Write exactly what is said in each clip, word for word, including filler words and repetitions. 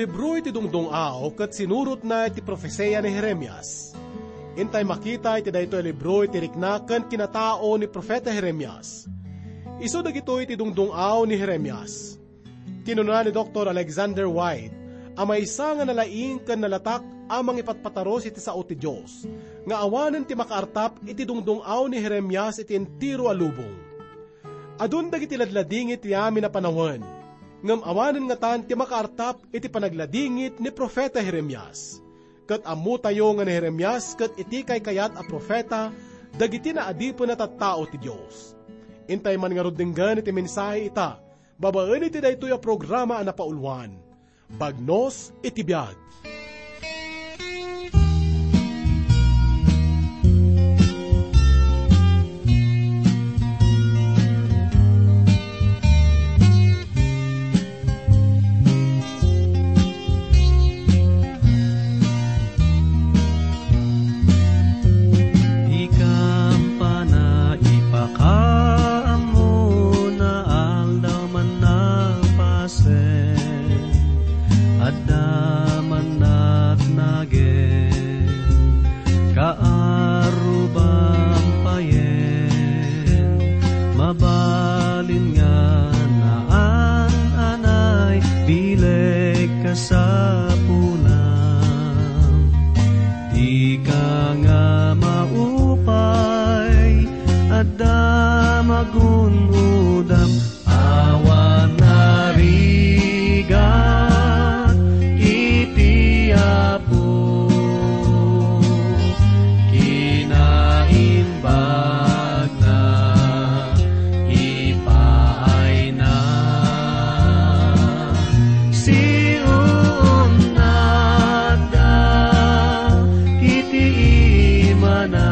Libro iti Dungdung-aw ket sinurotna iti profesia ni Jeremias. Intay makita iti daytoy a libro iti rikna ken kinatao ni Profeta Jeremias. Isu dagitoy ti dungdung-aw ni Jeremias. Kinuna ni Doktor Alexander White a maysa nga nalaing ken nalatak a mangipatpatarus iti sao ti Dios, nga awanen ti makaartap iti dungdung-aw ni Jeremias iti entero a lubong. Adun dagiti ladladingit ti amin a panawen, ngem awanen ngatan ti makaartap iti panagladingit ni Profeta Jeremias. Ket ammotayo nga ni Jeremias ket iti kaykayat a profeta dagiti naadipen a tattao ti Dios. Intay man ngarud denggen iti mensahe ita, babaen iti daytoy a programa a napauluan, Bagnos iti Biag. Ikampana ipakaammona aldaw man napasen, adda man natnagen, kaarruban payen, mabalin nga naan-anay bileg kasapulam. Dika nga maupay, adda magun-udam, awan narigat iti Apo. Kinaimbag na ipaayna. Siunnatda iti imana,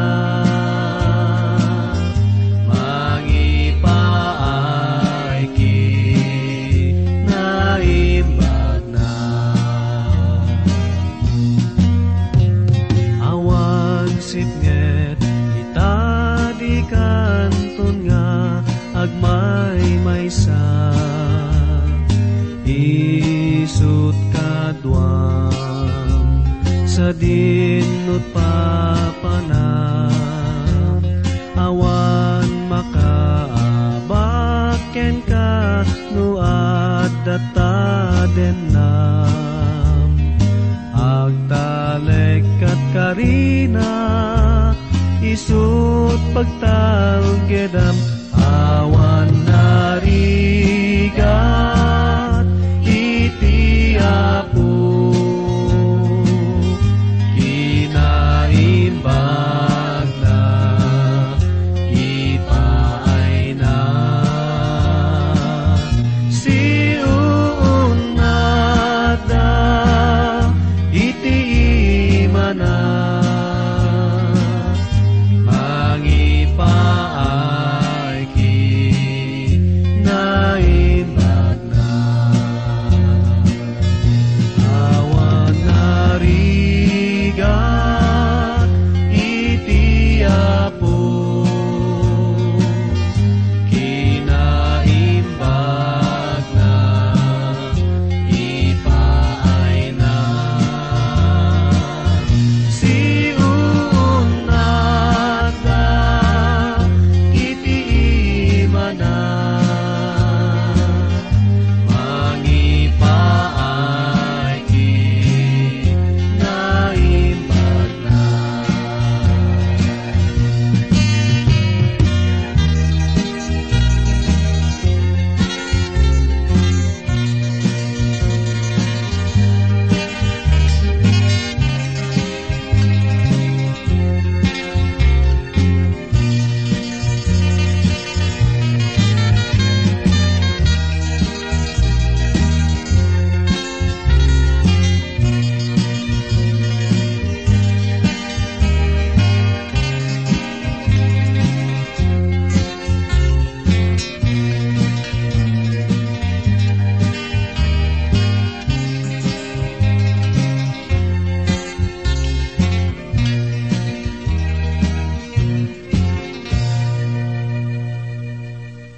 mangipaay kinaimbag na. Awan sipnget ita dikanton nga agmaymaysa. Isut kaduam sadin nut papanam. Awan makaabak kenka no adda ta dennam. Agtalek kat karina, isut pagtalgedam. Awan narigat iti Apo, kinaimbag na ipaayna. Siunnatda iti imana, mangipaay kinaimbag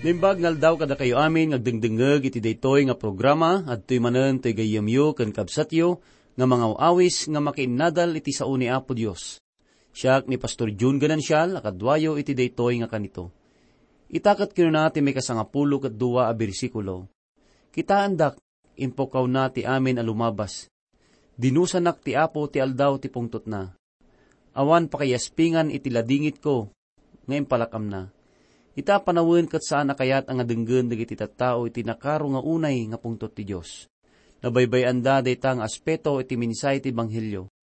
Naimbag nga aldaw kadakayo amin nga agdengdengngeg iti daytoy nga programa, adtoy manen toy gayyemyo ken kabsatyo nga mangaw-awis nga makiinnadal iti sao ni Apo Dios. Siak ni Pastor Jun Ganancial a kaduayo iti daytoy nga kanito. Ita ket kinuna ti maikasangapulo ket dua a bersikulo, "Kitaendak, impukkawna ti amin a lumabas. Dinusanak ti Apo ti aldaw ti pungtotna. Awan pakaiyaspingan iti ladingitko nga impalakamna." Ita a panawen ket saan a kayat a nga denggen dagiti tattao iti nakaro nga unay nga pungtot ti Dios. Nabaybay-anda dayta nga aspeto iti mensahe ti Ebanghelio.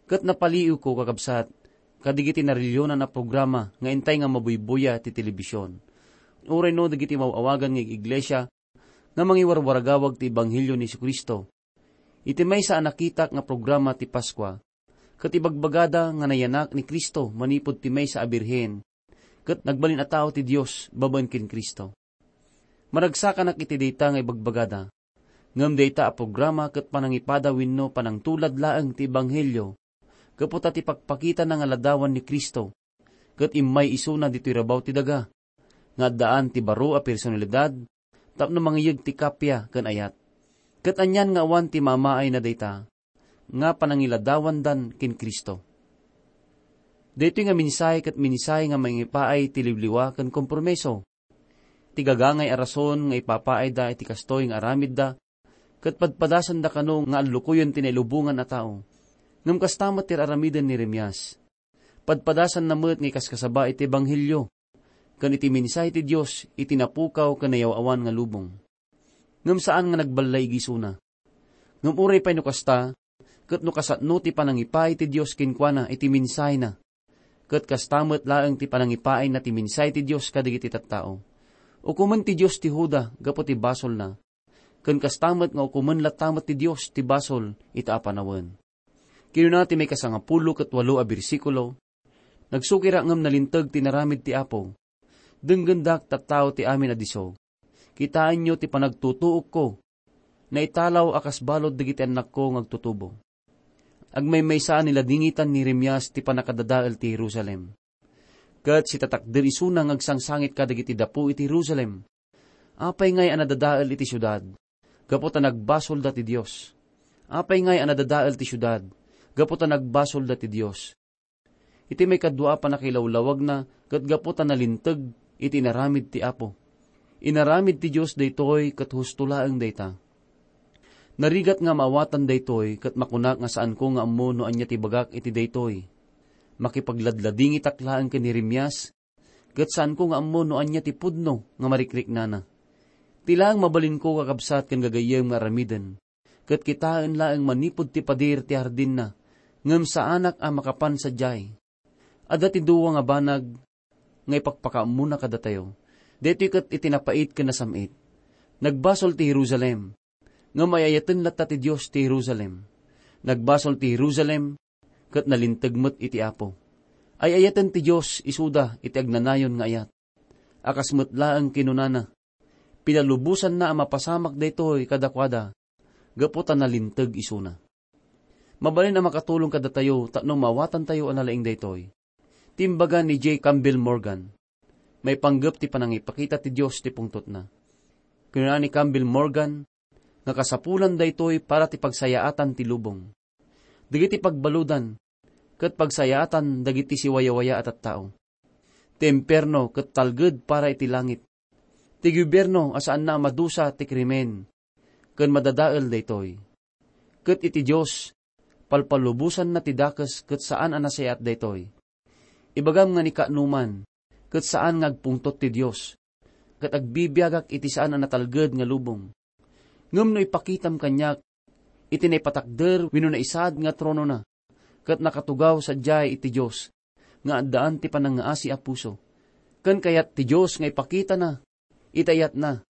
Ket napaliiwko, kakabsat, kadagiti narilionan a programa nga intay nga mabuybuya ti telebision, uray no dagiti maw-awagan nga iglesia nga mangiwarwaragawag ti Ebanghelio ni Jesu-Cristo. Iti maysa a nakitak nga programa ti Paskua, ket ibagbagada nga nayanak ni Cristo manipud ti maysa a birhen, ket nagbalin a tao ti Dios babaen ken Cristo. Maragsakanak iti dayta nga ibagbagada. Ngem dayta a programa ket panangipada wenno panangtulad laeng ti Ebanghelio, gapu ta ti pakpakitana nga ladawan ni Cristo, ket immay isuna ditoy rabaw ti daga, nga addaan ti baro a personalidad tapno mangiyeg ti kappia ken ayat. Ket anian nga awan ti mamaayna dayta nga panangiladawandan ken Cristo. Daytoy nga mensahe ket mensahe nga mangipaay ti liwliwa ken kompromiso. Ti gagangay a rason nga ipapaayda iti kastoy nga aramidda ket padpadasanda kano nga allukoyen ti nailubongan a tao. Ngem kasta met ti aramiden ni Jeremias. Padpadasanna met nga ikaskasaba iti Ebanghelio ken iti mensahe ti Dios iti napukaw ken nayaw-awan nga lubong. Ngem saan nga nagballaig isuna. Ngem uray pay no kasta, ket no kasano ti panangipaay ti Dios kenkuana iti mensahena, ket kasta met laeng ti panangipaayna ti mensahe ti Dios kadagiti tattao. Ukomen ti Dios ti Juda gapu ti basolna, ken kasta met nga ukomen latta met ti Dios ti basol ita a panawen. Kinuna ti maikasangapulo ket walo a bersikulo, "Nagsukirak ngem nalinteg ti inaramid ti Apo. Denggendak, tattao ti amin a disso. Kitaenyo ti panagtutuokko. Naitalaw a kas balud dagiti annakko nga agtutubo." Agmaymaysa a niladingitan ni Jeremias ti pannakadadael ti Jerusalem. Ket sitatakder isuna nga agsangsangit kadagiti dapu iti Jerusalem. Apay ngay a nadadael iti siudad? Gapu ta nagbasolda ti Dios. Apay ngay a nadadael ti siudad? Gapu ta nagbasolda ti Dios. Iti maikadua a pannakilawlawagna ket gapu ta nalinteg iti inaramid ti Apo. Inaramid ti Dios daytoy ket husto laeng dayta. Narigat nga maawatan daytoy ket makunak nga saanko nga ammo no ania ti ibagak iti daytoy. Makipagladladingitak laeng ken ni Jeremias, ket saanko nga ammo no ania ti pudno nga marikriknana. Ti laeng mabalinko, kakabsat ken gagayyem nga aramiden, ket kitaen laeng manipud ti pader ti hardinna, ngem saanak a makapan sadiay. Adda ti dua nga banag nga ipakpakaammona kadatayo. Daytoy ket iti napait ken nasam-it. Nagbasol ti Jerusalem, ngem ay-ayaten latta ti Dios ti Jerusalem. Nagbasol ti Jerusalem, ket nalinteg met iti Apo. Ay-ayaten ti Dios isuda iti agnanayon nga ayat. A kas met laeng kinunana, pinalubosanna a mapasamak daytoy kadakuada gapu ta nalinteg isuna. Mabalin a makatulong kadatayo tapno maawatantayo a nalaing daytoy. Ti imbaga ni J. Campbell Morgan, maipanggep ti panangipakita ti Dios ti pungtotna. Kinuna ni Campbell Morgan nga kasapulan daytoy para ti pagsayaatan ti lubong. Dagiti pagbaludan ket pagsayaatan dagiti siwayawaya a tattao. Ti impierno ket talged para iti langit. Ti gobierno a saanna a madusa ti krimen ken madadael daytoy. Ket iti Dios, palpalubosanna ti dakes ket saan a nasayaat daytoy. Ibagam nga ni kaanoman, ket saan nga agpungtot ti Dios, ket agbibiagak iti saan a natalged nga lubong. Ngem no ipakitam kaniak iti naipatakder wenno naisaad nga tronona, ket nakatugaw sadiay iti Dios nga addaan ti panangngaasi a puso, ken kayat ti Dios nga ipakitana iti ayatna,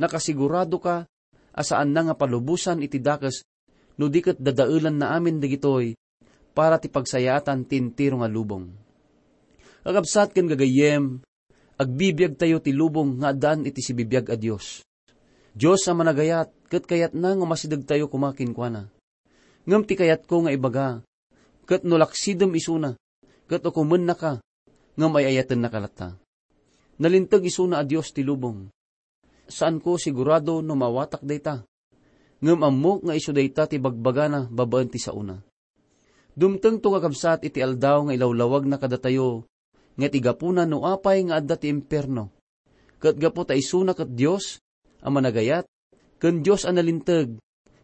nakasiguradoka a saanna nga palubosan iti dakes no di ket dadaelanna amin dagitoy para ti pagsayaatan ti entero nga lubong. Kakabsat ken gagayyem, agbibiagtayo ti lubong nga addaan iti sibibiag a Dios. Dios a managayat, ket kayatna nga umasidegtayo koma kenkuana. Ngem ti kayatko nga ibaga, ket no laksidem isuna, ket ukomennaka, ngem ay-ayatennaka latta. Nalinteg isuna a Dios ti lubong. Saanko sigurado no maawatak dayta. Ngem ammok nga isu dayta ti bagbagana babaen ti saona. Dumtengto nga kabsat iti aldaw nga ilawlawagna kadatayo nga ti gapuna no apay nga adda ti impierno. Ket gapu ta isuna ket Dios a managayat, ken Dios a nalinteg,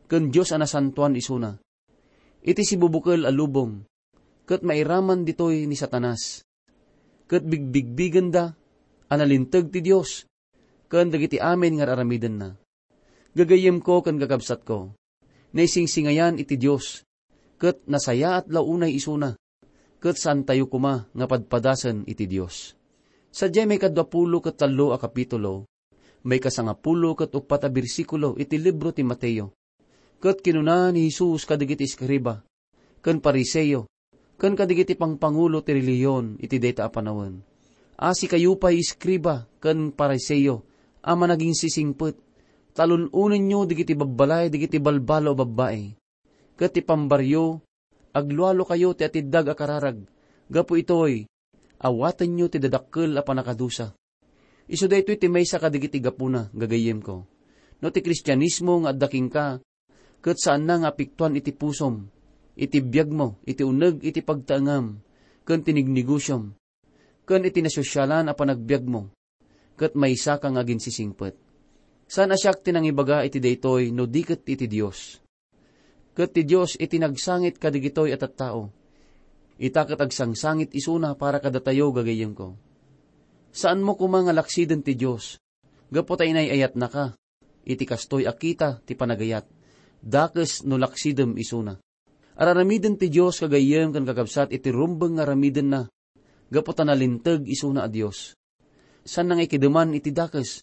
ken Dios a nasantoan isuna. Iti sibubukel a lubong, ket mairaman ditoy ni Satanas. Ket bigbigbigenda a nalinteg ti Dios ken dagiti amin nga ar-aramidenna. Gagayyemko ken kakabsatko, naisingsingayan iti Dios, ket nasayaat la unay isuna, ket saantayo koma nga padpadasen iti Dios. Sadiay maikadua pulo ket tallo a kapitulo, maikasangapulo ket uppat a bersikulo iti libro ti Mateo. Ket kinuna ni Jesus kadagiti eskriba ken Fariseo ken kadagiti pangpangulo ti relihion iti dayta a panawen, "Asikayo pay, eskriba ken Fariseo a managinsisingpet, ta alun-onenyo dagiti babbalay dagiti balbalo a babbai, ket ti pambaryo, aglualokayo ti atiddag a kararag. Gapu itoy, awatenyo ti dadakkel a pannakadusa." Isu daytoy ti maysa kadagiti gapuna, gagayyemko. No ti Kristianismo nga adda kenka, ket saanna nga apektuan iti pusom, iti biagmo, iti uneg iti pagtaengam, ken ti negnegosyom, ken iti nasosialan a panagbiagmo, ket maysaka nga aginsisingpet. Saan a siak ti nangibaga iti daytoy no di ket iti Dios. Ket ti Dios iti nagsangit kadagitoy a tattao. Ita ket agsangsangit isuna para kadatayo, gagayyemko. Saanmo koma nga laksiden ti Dios, gapu ta inay-ayatnaka iti kastoy a kita ti panagayat, dakes no laksidem isuna. Ar-aramiden ti Dios, gagayyem ken kakabsat, iti rumbeng nga aramidenna, gapu ta nalinteg isuna a Dios. Saanna nga ikideman iti dakes.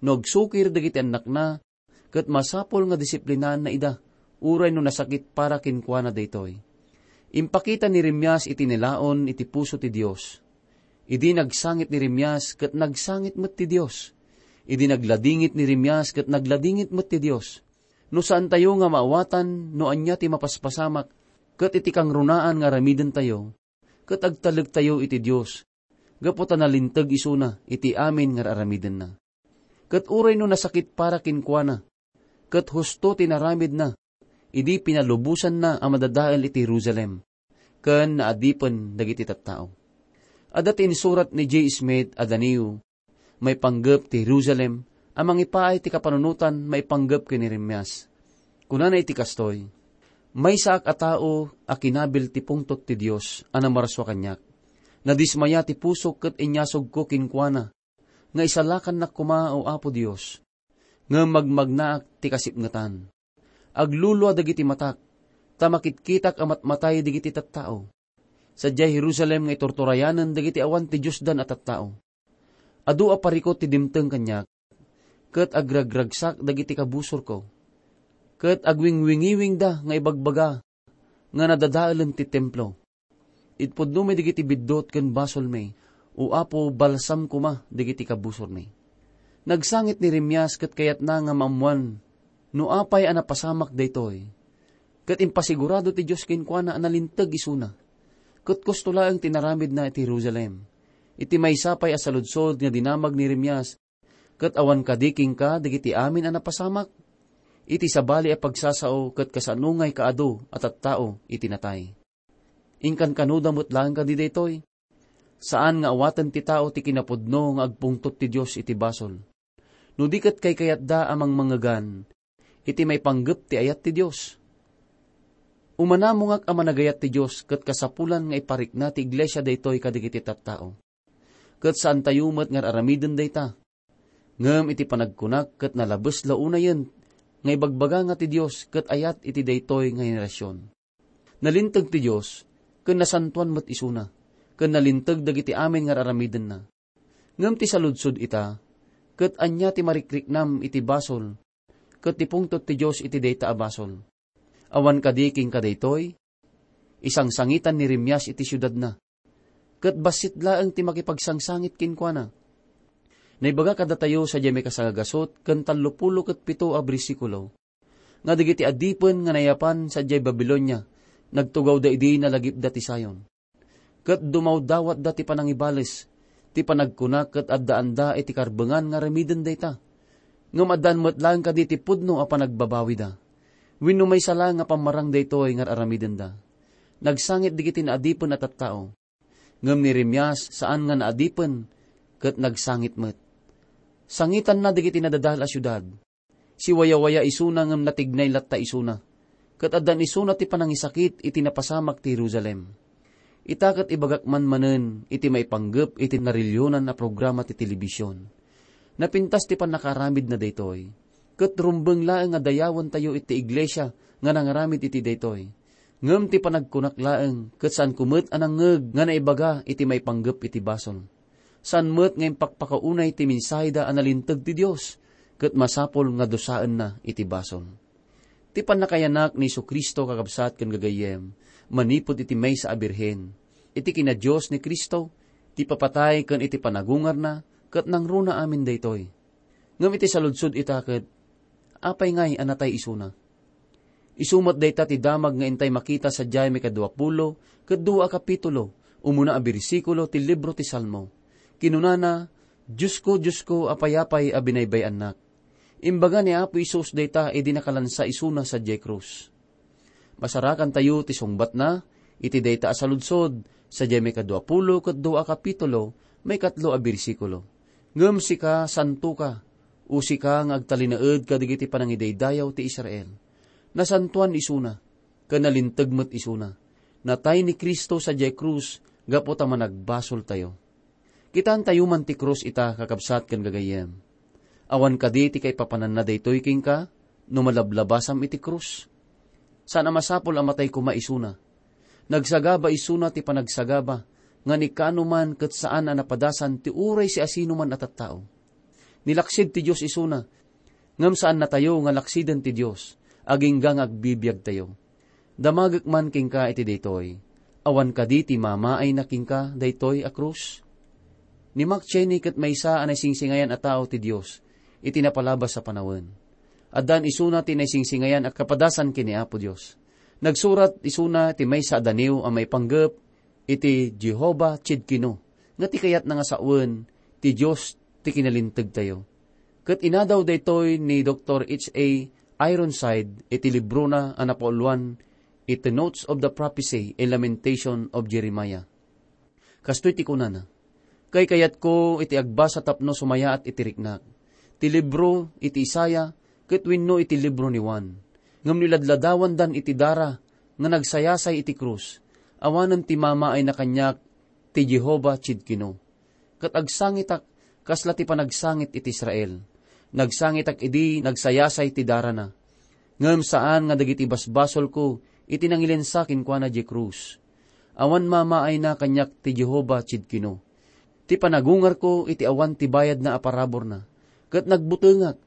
No agsukir dagiti annakna, ket masapul nga disiplinaanna ida, uray no nasakit para kenkuana daytoy. Impakita ni Jeremias iti nilaon iti puso ti Dios. Idi nagsangit ni Jeremias, ket nagsangit met ti Dios. Idi nagladingit ni Jeremias, ket nagladingit met ti Dios. No saantayo nga maawatan no ania ti mapaspasamak, ket iti kangrunaan nga aramidentayo, ket agtalektayo iti Dios, gapu ta nalinteg isuna iti amin nga ar-aramidenna. Ket uray no nasakit para kenkuana, ket husto ti naramidna, idi pinalubosanna a madadael iti Jerusalem, ken naadipen dagiti tattao. Adda ti insurat ni J. Smith a Daniel maipanggep ti Jerusalem a mangipaay ti kapanunotan maipanggep ken ni Jeremias. Kunana iti kastoy, "Maysaak a tao a kinabil ti pungtot ti Dios a namarsua kaniak. Nadismaya ti pusok ket inyasugko kenkuana nga isalakannak koma, O Apo Dios. Ngem magmagnaak ti kasipngetan. Aglulua dagiti matak, ta makitkitak a matmatay dagiti tattao. Sadiay Jerusalem nga iturturayanen dagiti awan ti Diosdan a tattao. Adu a parikut ti dimteng kaniak, ket agragragsak dagiti kabusorko, ket agwingwingiwingda nga ibagbaga nga nadadaelen ti templo. Itpudnomi dagiti biddut ken basolmi, O Apo, balsam koma dagiti kabusormi." Nagsangit ni Jeremias ket kayatna nga maammoan no apay a napasamak daytoy. Ket impasigurado ti Dios kenkuana a nalinteg isuna. Ket kusto laeng ti naramidna iti Jerusalem. Iti maysa pay a saludsod nga dinamag ni Jeremias, "Ket awan kadi kenka dagiti amin a napasamak?" Iti sabali a pagsasao ket kasano nga ikaadu a tattao iti natay. Inkankanoda met laeng kadi daytoy? Saan nga awaten ti tao ti kinapudno nga agpungtot ti Dios iti basol, no di ket kaykayatda a mangmangegan iti maipanggep ti ayat ti Dios. Umanamongak a managayat ti Dios ket kasapulan nga iparikna ti iglesia daytoy kadagiti tattao. Ket saantayo met nga ar-aramiden dayta. Ngem iti panagkunak ket nalabes la unayen nga ibagbaga nga ti Dios ket ayat iti daytoy nga henerasion. Nalinteg ti Dios, ken nasantoan met isuna, ken nalinteg dagiti amin nga ar-aramidenna. Ngem ti saludsod ita, ket ania ti marikriknam iti basol, ket ti pungtot ti Dios iti dayta a basol? Awan kadi kenka daytoy? Isangsangitan ni Jeremias iti siudadna, ket bassit laeng ti makipagsangsangit kenkuana. Naibaga kadatayo sadiay maikasangagasut ken tallopulo ket pito a bersikulo, nga dagiti adipen nga nayapan sadiay Babilonia, nagtugawda idi nalagipda ti Sion. Ket dumawdawatda ti panangibales, Ti panagkunak ket addaanda iti karbengan nga aramiden dayta. Ngem addaan met laeng kadi ti pudno a panagbabawida. Wenno maysa laeng nga pammarang daytoy nga aramidenda. Nagsangit dagiti naadipen a tattao. Ngem ni Jeremias saan nga naadipen ket nagsangit met. Sangitanna dagiti nadadael a siudad. Siwayawaya isuna ngem natignay latta isuna. Ket addan isuna ti panangisakit iti napasamak ti Jerusalem. Ita ket ibagak man manen iti maipanggep iti narilionan a programa ti telebision. Napintas ti pannakaaramidna daytoy. Ket rumbeng laeng nga dayawentayo iti iglesia nga nangaramid iti daytoy. Ngem ti panagkunak laeng, ket saanko met a nangngeg nga naibaga iti maipanggep iti basol. Saan met nga impakpakaunay ti mensaheda a nalinteg ti Dios, ket masapul nga dusaenna iti basol. Ti pannakayanak ni Jesu-Cristo, kakabsat ken gagayyem, manipud iti maysa a birhen, iti kina-Dios ni Cristo, ti ipapatay ken iti panagungarna, ket nangruna amin daytoy. Ngem iti saludsod ita ket, apay ngay a natay isuna? Isu met dayta ti damag nga intay makita sadiay maikadua pulo ket dua a kapitulo, umuna a bersikulo ti libro ti Salmo. Kinunana, "Diosko, Diosko, apay-apay a binaybay-annak?" Imbaga ni Apo Jesus dayta idi nakalansa isuna sadiay krus. Masarakantayo ti sungbatna iti dayta a saludsod, sadiay maikadua pulo ket dua a kapitulo, maikatlo a bersikulo. Ngem sika, santoka, o sika nga agtalinaed kadagiti panangidaydayaw ti Israel. Nasantoan isuna, ken nalinteg met isuna. Natay ni Cristo sadiay krus gapu ta managbasoltayo. Kitaentayo man ti krus ita, kakabsat ken gagayyem. Awan kadi ti kaipapananna daytoy kenka no malablabasam iti krus? Saan a masapul a matay koma isuna. Nagsagaba isuna ti panagsagaba nga ni kaano man ket saan a napadasan ti uray siasinoman a tattao. Nilaksid ti Dios isuna, ngem saannatayo nga laksiden ti Dios, agingga nga agbibiagtayo. Damagek man kenka iti daytoy. Awan kadi ti mamaayna kenka daytoy a krus? Ni Mark Cheney ket maysa a naisingsingayan a tao ti Dios iti napalabas a panawen. Addaan isuna ti naisingsingayan a kapadasan ken ni Apo Dios. Nagsurat isuna ti maysa a daniw a maipanggep iti Jehovah Tsidkenu, nga ti kayatna nga sawen ti Dios ti kinalintegtayo. Ket inadaw daytoy ni Doktor H A Ironside iti librona a napauluan iti Notes of the Prophecy and Lamentation of Jeremiah. Kastoy ti kunana, "Kaykayatko iti agbasa tapno sumayaat iti riknak. Ti libro iti Isaiah ket wenno iti libro ni Juan. Ngem no iladladawandan iti dara nga nagsayasay iti krus, awanen ti mamaayna kaniak ti Jehovah Tsidkenu." Ket agsangitak kasla ti panagsangit iti Israel. Nagsangitak idi nagsayasay ti darana. Ngem saan nga dagiti basbasolko iti nangilensa kenkuana diay krus. Awan mamaayna kaniak ti Jehovah Tsidkenu. Ti panagungarko iti awan ti bayadna a paraburna, ket nagbutengak.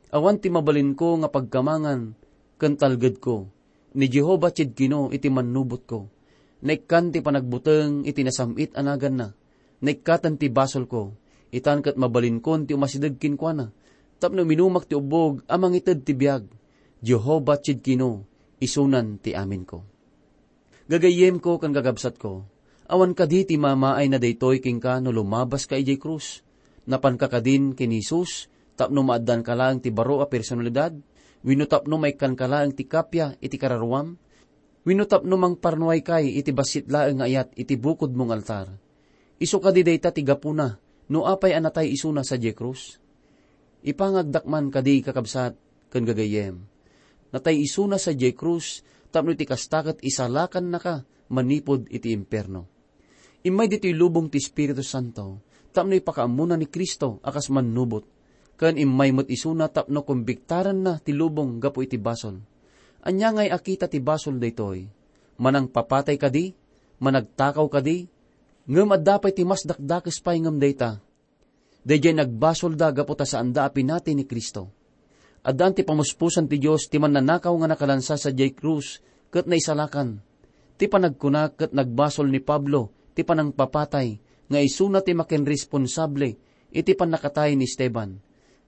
Awan ti mabalinko nga pagkamangan ken talgedko. Ni Jehovah Tsidkenu iti mannubotko. Naikkan ti panagbuteng iti nasam-it a naganna. Naikkaten ti basolko. Itan ket mabalinkon ti umasideg kenkuana, tapno uminumak ti ubbog a mangited ti biag. Jehovah Tsidkenu, isunan ti aminko. Gagayyemko ken gagabsatko, awan kadi ti mamaayna daytoy kenka no lumabaska idiay krus? Napanka kadin ken Jesus tapno maaddanka laeng ti baro a personalidad, wenno tapno maikkanka laeng ti kappia iti kararuam, wenno tapno mangparnuaykay iti bassit laeng nga ayat iti bukodmo nga altar? Isu kadi dayta ti gapuna no apay a natay isuna sadiay krus? Ipangagdak man kadi, kakabsat ken gagayyem, natay isuna sadiay krus tapno iti kasta ket isalakannaka manipud iti impierno. Immay ditoy lubong ti Espiritu Santo tapno ipakaammona ni Cristo a kas mannubot, ken immay met isuna tapno kumbiktaranna ti lubong gapu iti basol. Ania ngay a kita ti basol daytoy? Manangpapatay kadi? Managtakaw kadi? Ngem adda pay ti mas dakdakes pay ngem dayta. Daydiay nagbasolda gapu ta saanda a pinati ni Cristo. Addaan ti pamuspusan ti Dios ti mannanakaw nga nakalansa sadiay krus ket naisalakan. Ti panagkuna ket nagbasol ni Pablo ti panangpapatay nga isuna ti makinresponsable iti pannakatay ni Esteban.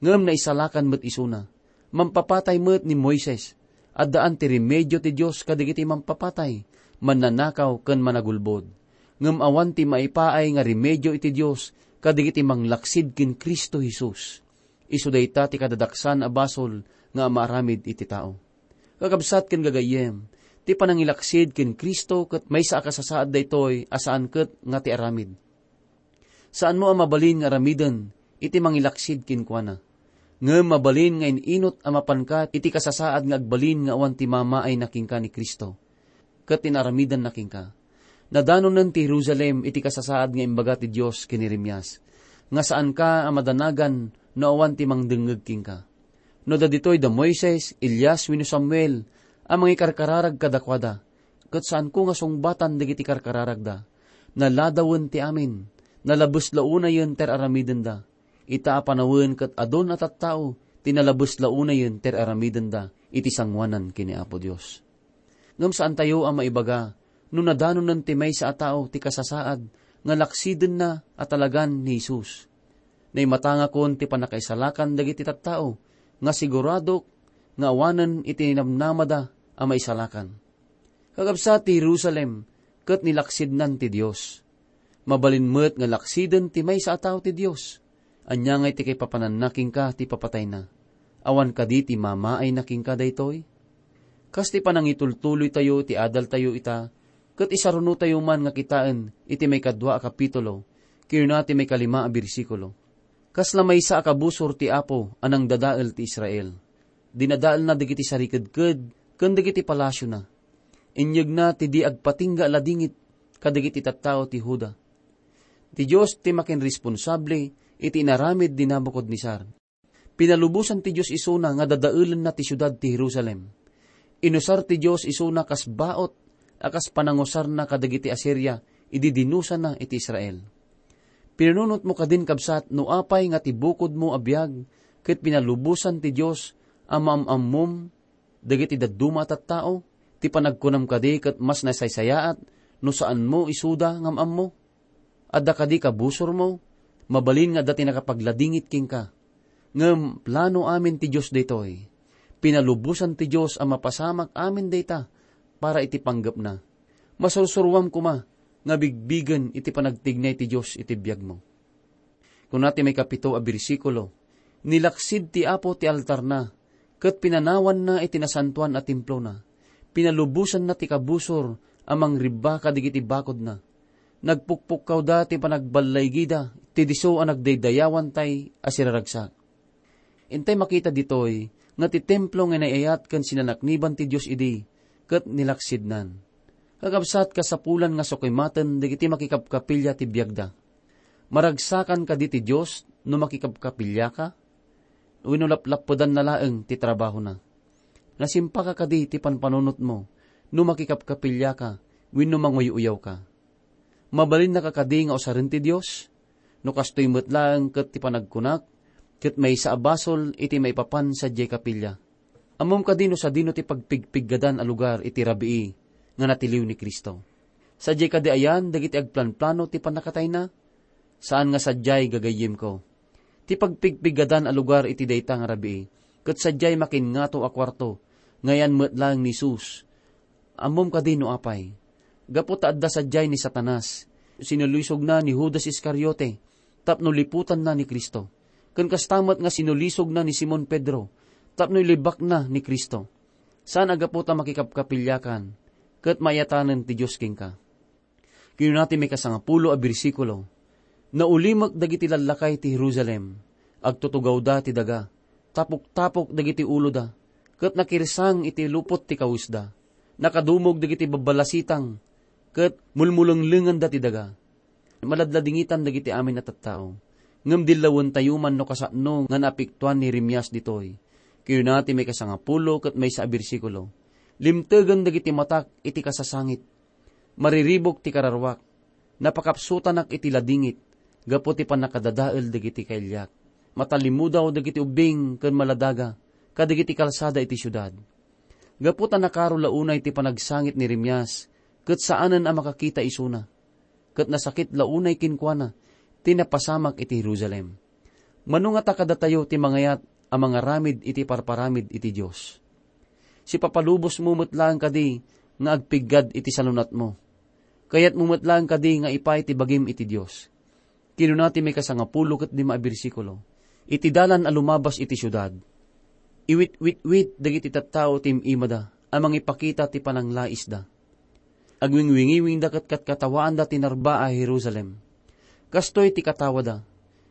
Ngem naisalakan met isuna. Mampapatay met ni Moises. Addaan ti remedio ti Dios kadagiti mampapatay, mannanakaw, ken managulbod. Ngem awan ti maipaay nga remedio iti Dios kadagiti manglaksid ken Cristo Jesus. Isu dayta ti kadadaksan a basol nga maaramid iti tao. Kakabsat ken gagayyem, ti panangilaksid ken Cristo ket maysa a kasasaad daytoy a saan ket nga ti aramid. Saanmo a mabalin nga aramiden iti mangilaksid kenkuana. Ngem mabalin nga in-inut a mapanka iti kasasaad nga agbalin nga awan ti mamaayna kenka ni Cristo ket ti naaramidanna kenka. Nadanonen ti Jerusalem iti kasasaad nga imbaga ti Dios ken Jeremias, nga saanka a madanagan no awan ti mangdengngeg kenka. No da ditoy da Moises, Elias, wenno Samuel a mangikarkararag kadakuada, ket saanko nga sungbatan dagiti karkararagda. Naladawen ti amin, nalabes la unayen ti ar-aramidenda. Ita a panawen ket adun a tattao ti nalabes la unayen ti ar-aramidenda iti sangoanan ken ni Apo Dios. Ngem saantayo a maibaga no nadanonen ti maysa a tao ti kasasaad nga laksidenna a talagan ni Jesus. Naimatangakon ti pannakaisalakan dagiti tattao nga siguradok nga awanen iti namnamada a maisalakan. Kakabsat ti Jerusalem ket nilaksidnan ti Dios. Mabalin met nga laksiden ti maysa a tao ti Dios. Ania ngay ti kaipapananna kenka ti papatayna? Awan kadi ti mamaayna kenka daytoy? Kas ti panangitultuloytayo iti adaltayo ita, ket isarunotayo man nga kitaen iti maikadua a kapitulo, ken ti maikalima a bersikulo. Kasla maysa a kabusor ti Apo a nangdadael ti Israel. Dinadaelna dagiti sarikedked ken dagiti palasiona. Inyegna ti di agpatingga a ladingit kadagiti tattao ti Juda. Ti Dios ti makinresponsable iti inaramid ni Nabucodonosor. Pinalubosan ti Dios isuna nga dadaelenna ti siudad ti Jerusalem. Inusar ti Dios isuna kas baot a kas panangusarna kadagiti Asiria idi dinusana iti Israel. Pinunotmo kadin, kabsat, no apay nga ti bukodmo a biag ket pinalubosan ti Dios a maam-ammom dagiti dadduma a tattao? Ti panagkunam kadi ket mas nasaysayaat no saanmo isuda nga am-ammo? Adda kadi kabusormo? Mabalin nga adda ti nakapagladingit kenka. Ngem plano amin ti Dios daytoy. Pinalubosan ti Dios a mapasamak amin dayta para iti panggepna. Masursuroam koma nga bigbigen iti panagtignay ti Dios iti biagmo. Kuna ti maikapito a bersikulo, "Nilaksid ti Apo ti altarna, ket pinanawanna iti nasantoan a templona. Pinalubosanna ti kabusor a mangribba kadagiti bakodna. Nagpukpukkawda ti panagballaygida ti disso a nagdaydayawantay a siraragsak." Intay makita ditoy nga ti templo nga inay-ayat ken sinanakniban ti Dios idi ket nilaksidnan. Kakabsat, kasapulan nga sukimaten dagiti makikapkapilya ti biagda. Maragsakan kadi ti Dios no makikapkapilyaka? Wenno laplappedanna laeng ti trabahona? Nasimpaka kadi ti panpanunotmo no makikapkapilyaka wenno manguy-uyawka? Mabalinnaka kadi nga usaren ti Dios? No kastoy met laeng ket ti panagkunak, ket maysa a basol iti maipapan sadiay kapilya. Ammom kadi no sadino ti pagpigpiggadan a lugar iti rabii nga natiliw ni Cristo? Sadiay kadi ayan dagiti agplanplano ti pannakatayna? Saan nga sadiay, gagayyemko. Ti pagpigpiggadan a lugar iti dayta nga rabii, ket sadiay makinngato a kuarto nga ayan met laeng ni Jesus. Ammom kadi no apay? Gapu ta adda sadiay ni Satanas, sinulisogna ni Judas Iscariote tapno liputanna ni Cristo. Ken kasta met nga sinulisogna ni Simon Pedro tapno ilibakna ni Cristo. Saan a gapu ta makikapkapilyakan ket maiyatanen ti Dios kenka. Kinuna ti maikasangapulo a bersikulo, "Naulimek dagiti lallakay ti Jerusalem, agtutugawda ti daga, tapok-tapok dagiti uloda, ket nakirsang iti lupot ti kawesda. Nakadumog dagiti babbalasitang, ket mulmulenglenganda ti daga." Maladladingitan dagiti amin a tattao. Ngem dillawentayo man no kasano nga naapektoan ni Jeremias ditoy. Kinuna ti maikasangapulo ket maysa a bersikulo, "Limtegen dagiti matak iti kasasangit. Mariribuk ti kararuak. Napakapsutanak iti ladingit gapu ti pannakadadael dagiti kailiak. Matalimudaw dagiti ubbing ken maladaga kadagiti kalsada iti siudad." Gapu ta nakaro la unay ti panagsangit ni Jeremias, ket saanen a makakita isuna. Ket nasakit la unay kenkuana ti napasamak iti Jerusalem. Mano ngata kadatayo ti mangayat a mangaramid iti parparamid iti Dios? Sipapalubosmo met laeng kadi nga agpiggad iti salunatmo? Kayatmo met laeng kadi nga ipaay ti bagim iti Dios? Kinuna ti maikasangapulo ket lima a bersikulo, "Iti dalan a lumabas iti siudad, iwit-witwit dagiti tattao ti im-imada a mangipakita ti pananglaisda. Agwingwingiwingda ket katkatawaanda ti narba a Jerusalem. Kastoy ti katawada.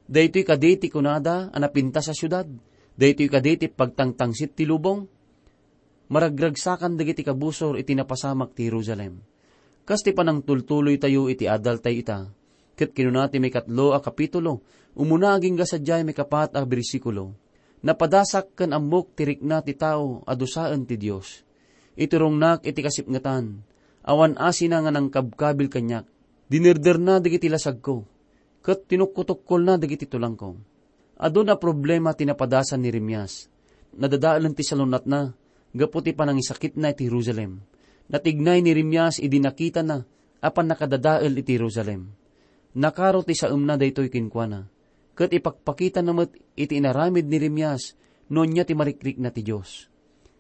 Daytoy kadi ti kunada a napintas a siudad? Daytoy kadi ti pagtangtangsit ti lubong?" Maragragsakan dagiti kabusor iti napasamak ti Jerusalem. Kas ti panangtultuloytayo iti adaltayo ita, ket kinuna ti maikatlo a kapitulo, umuna agingga sadiay maikapat a bersikulo, "Napadasak ken ammok ti rikna ti tao a dusaen ti Dios. Iturongnak iti kasipngetan, awan asina nga nangkabkabil kaniak. Dinerderna dagiti lasagko, ket tinukkotukkolna dagiti tulangko." Adun a problema ti napadasan ni Jeremias. Nadadaelen ti salun-atna gapu ti panangisakitna iti Jerusalem. Natignay ni Jeremias idi nakitana a pannakadadael iti Jerusalem. Nakaro ti saemna daytoy kenkuana, ket ipakpakitana met iti inaramid ni Jeremias no ania ti marikrikna ti Dios.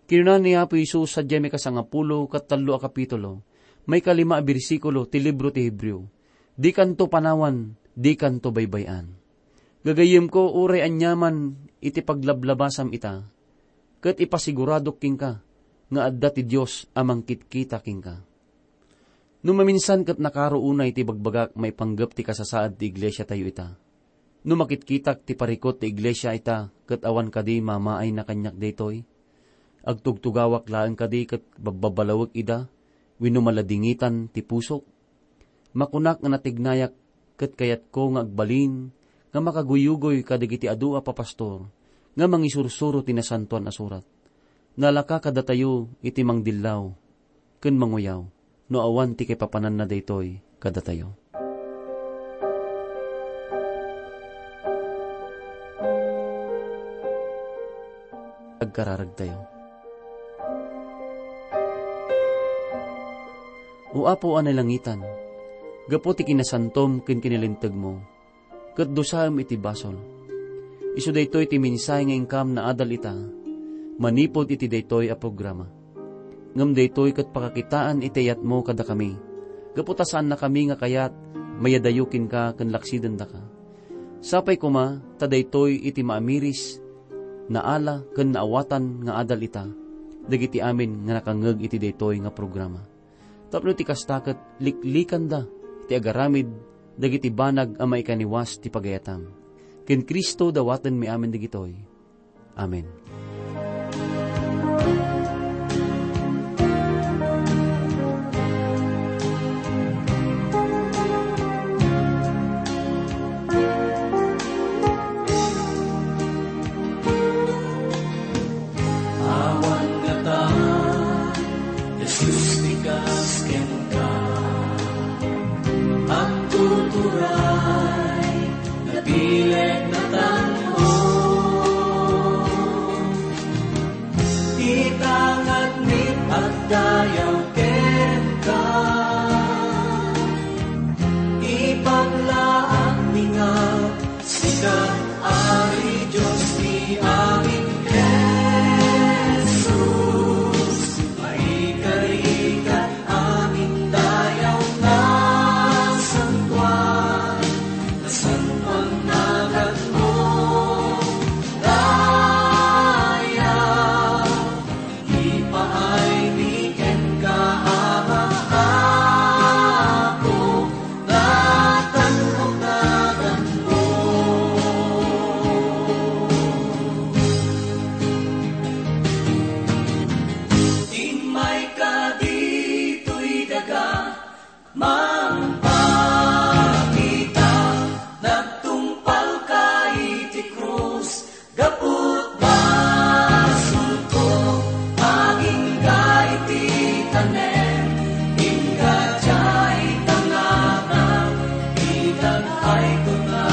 Kinuna ni Apo Jesus sadiay maikasangapulo ket tallo a kapitulo, maikalima a bersikulo ti libro ti Hebreo, "Dikanto panawan, dikanto baybay-an." Gagayyemko, uray aniaman iti paglablabasam ita, ket ipasiguradok kenka nga adda ti Dios a mangkitkita kenka. No maminsan ket nakaro unay ti ibagbagak maipanggep ti kasasaad ti iglesiatayo ita. No makitkitak ti parikut ti iglesia ita ket awan kadi mamaayna kaniak daytoy? Agtugtugawak laeng kadi ket babbabalawek ida wenno maladingitan ti pusok? Makunak nga natignayak ket kayatko nga agbalin nga makaguyugoy kadagiti adu a papastor nga mangisursuro ti Nasantoan a Surat. Nalaka kadatayo iti mangdillaw ken manguyaw no awan ti kaipapananna daytoy kadatayo. Agkararagtayo. O Apo a nailangitan, gapu ti kinasantom ken kinalintegmo, ket dusaem iti basol. Isu daytoy ti mensahe nga inkam naadal ita manipud iti daytoy a programa. Ngem daytoy ket pakakitaan iti ayatmo kadakami, gapu ta saannakami nga kayat mayadayo kenka ken laksidendaka. Sapay koma ta daytoy iti maamiris, naala ken naawatan nga adal ita dagiti amin nga nakangngeg iti daytoy nga programa. Tapno ti kasta ket liklikanda ti agaramid dagiti banag a maikaniwas ti pagayatam. Ken Cristo dawatenmi amin dagitoy. Amen. Awan ngata, Jesus, ti kas kenka. Agtuturay, nabileg, natango. Ti tangadmi agdayaw kenka. Ipaglaanmi nga sika, Ari Dios ti amin, Jesus. Maikarigat amin dayaw nga santoan, nasantoan naganmo, dayaw. Ipaaymi kenka, Ama, Apo, nga tan-ok naganmo. Immayka ditoy daga, mangpakita, nagtungpalka iti krus, gapu ta basolko, agingga iti tanem, ingga diay tangatang, itag-ay ko nga